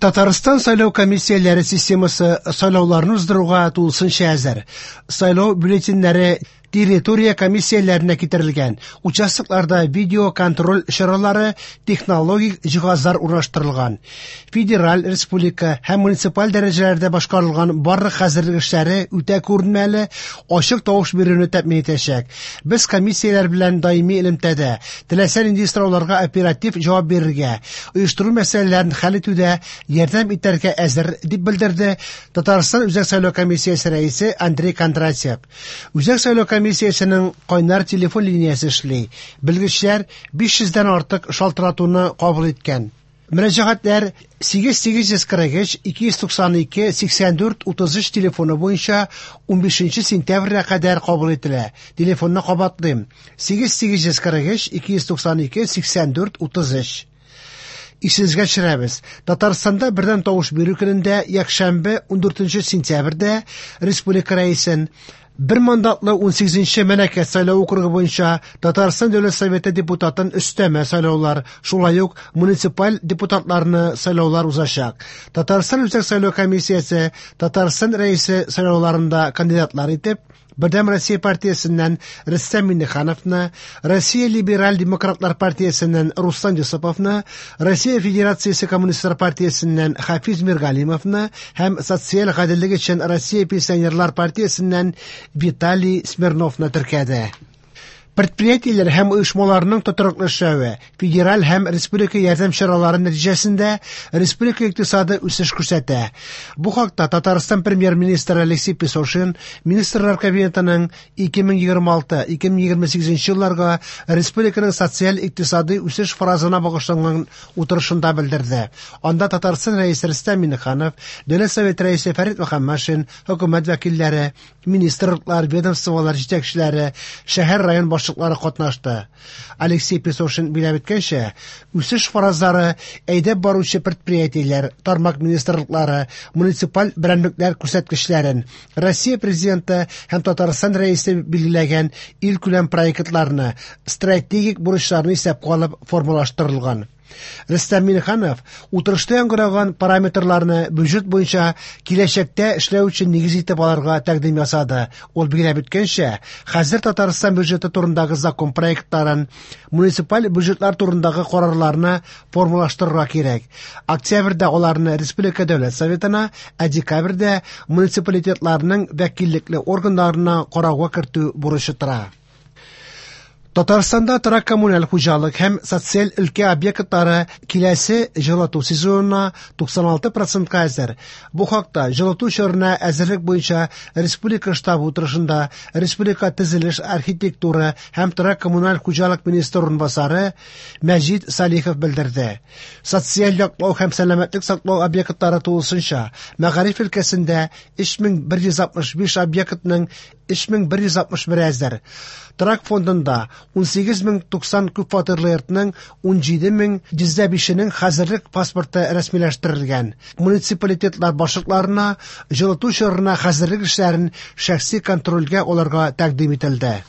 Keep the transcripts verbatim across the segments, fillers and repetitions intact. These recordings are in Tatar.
Татарстан сайлау комиссияләре системасы сайлауларны уздыруга тулысынча әзер. Сайлау бюллетеньнәре территория комиссияләренә китерелгән. Участокларда видеоконтроль чаралары, технологик җиһазлар урнаштырылган. Федераль, республика һәм муниципаль дәрәҗәләрдә башкарылган барлык хәзерлек эшләре үтә күренмәле, ачык тавыш бирүне тәэмин итәчәк. Без комиссияләр белән даими элемтәдә, теләсә нинди сорауларга оператив җавап бирергә, оештыру мәсьәләләрен хәл итүдә ярдәм итәргә әзер, дип белдерде Татарстан Үзәк сайлау комиссиясе рәисе Андрей Кондратьев. Үзәк сайлау комиссиясенең кайнар телефон линиясе эшли. Белгечләр биш йөздән артык шалтыратуны кабул иткән. Мөрәҗәгатьләр сигез сигез йөз кырык өч ике йөз туксан ике сиксән дүрт утыз өч телефоны буенча унбишенче сентябрьгә кадәр кабул ителә. Телефонны кабатлыйм: сигез сигез йөз кырык өч ике йөз туксан ике сиксән дүрт утыз өч. Исегезгә төшерәбез. Татарстанда бердәм тавыш бирү көнендә, якшәмбе ундүртенче сентябрьдә республика рәисен бер мандатлы унсигезенче Мәләкәс сайлау округы буенча Татарстан Дәүләт Советы депутатын өстәмә сайлаулар, шулай ук муниципаль депутатларны сайлаулар узачак. Татарстан Үзәк сайлау комиссиясе Татарстан рәисе сайлауларында кандидатлар итеп Бердәм Россия партиясеннән Рөстәм Миңнехановны, Россия Либераль Демократлар партиясеннән Руслан Юсуповны, Россия Федерациясе Коммунистлар партиясеннән Хафиз Миргалимовны һәм Социаль гаделлек өчен Россия Пенсионерлар партиясеннән Виталий Смирновны теркәде. Предприятиеләр һәм оешмаларның тотрыклы эшләве, федераль һәм республика ярдәм чаралары нәтиҗәсендә республика икътисады үсеш күрсәтә. Бу хакта Татарстан премьер-министры Алексей Песошин Министрлар Кабинетының ике мең егерме алты — ике мең егерме сигезенче елларга республиканың социаль икътисади үсеш фаразына багышланган утырышында белдерде. Анда Татарстан рәисе Рөстәм Миңнеханов, Дәүләт Советы рәисе Фәрит Мөхәммәтшин, хөкүмәт вәкилләре, министрлыклар, ведомстволар җитәкчеләре, шәһәр район башлыклары катнашты. Алексей Песошин билгеләп үткәнчә, үсеш фаразлары әйдәп баручы предприятиеләр, тармак министрлыклары, муниципаль берәмлекләр күрсәткечләрен, Россия Президенты һәм Татарстан рәисе билгеләгән илкүләм проектларны, стратегик бурычларны исәпкә алып формалаштырылган. Рөстәм Миңнеханов утырышта яңгыраган параметрларны бюджет буенча киләчәктә эшләү өчен нигез итеп алырга тәкъдим ясады. Ул билгеләп үткәнчә, хәзер Татарстан бюджеты турындагы закон проектларын, муниципаль бюджетлар турындагы карарларны формалаштырырга кирәк. Октябрьдә аларны Республика Дәүләт Советына, ә декабрьдә муниципалитетларның вәкиллекле органнарына карауга кертү бурычы тора. Татарстанда торак коммуналь хуҗалык һәм социаль өлкә объектлары киләсе җылыту сезонына туксан алты процентка әзер. Бу хакта җылыту чорына әзерлек буенча республика штабы утырышында республика төзелеш, архитектура һәм торак коммуналь хуҗалык министры урынбасары Мәҗит Салихов белдерде. Социаль яклау һәм сәламәтлек саклау объектлары тулысынча мәгариф өлкәсендә өч мең бер йөз алтмыш биш объектның өч мең бер йөз алтмыш бер әзер. Торак фондында унсигез мең туксан күп фатирлы йортның унҗиде мең йөз дә бишенең хәзерлек паспорты рәсмиләштерелгән. Муниципалитетлар башлыкларына җылыту чорына хәзерлек эшләрен шәхси контрольгә алырга тәкъдим ителде.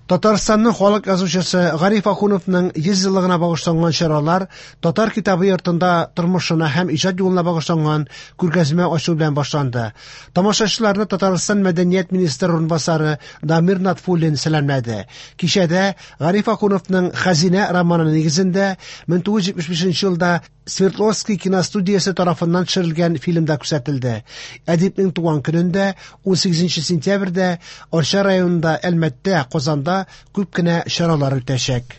Татарстанның халык язучысы Гариф Ахуновның йөз еллыгына багышланган чаралар Татар китабы йортында тормышына һәм иҗат юлына багышланган күргәзмә ачу белән башланды. Тамашачыларны Татарстан мәдәният министры урынбасары Дамир Натфуллин сәламләде. Кичәдә Гариф Ахуновның Хәзинә романы нигезендә мең тугыз йөз җитмеш бишенче елда Свердловский киностудиясе тарафыннан төшерелгән фильмда күрсәтелде. Әдипнең туган көнендә унсигезенче сентябрьдә Арча районында, Әлмәттә, Казанда күп кенә чаралар үтәчәк.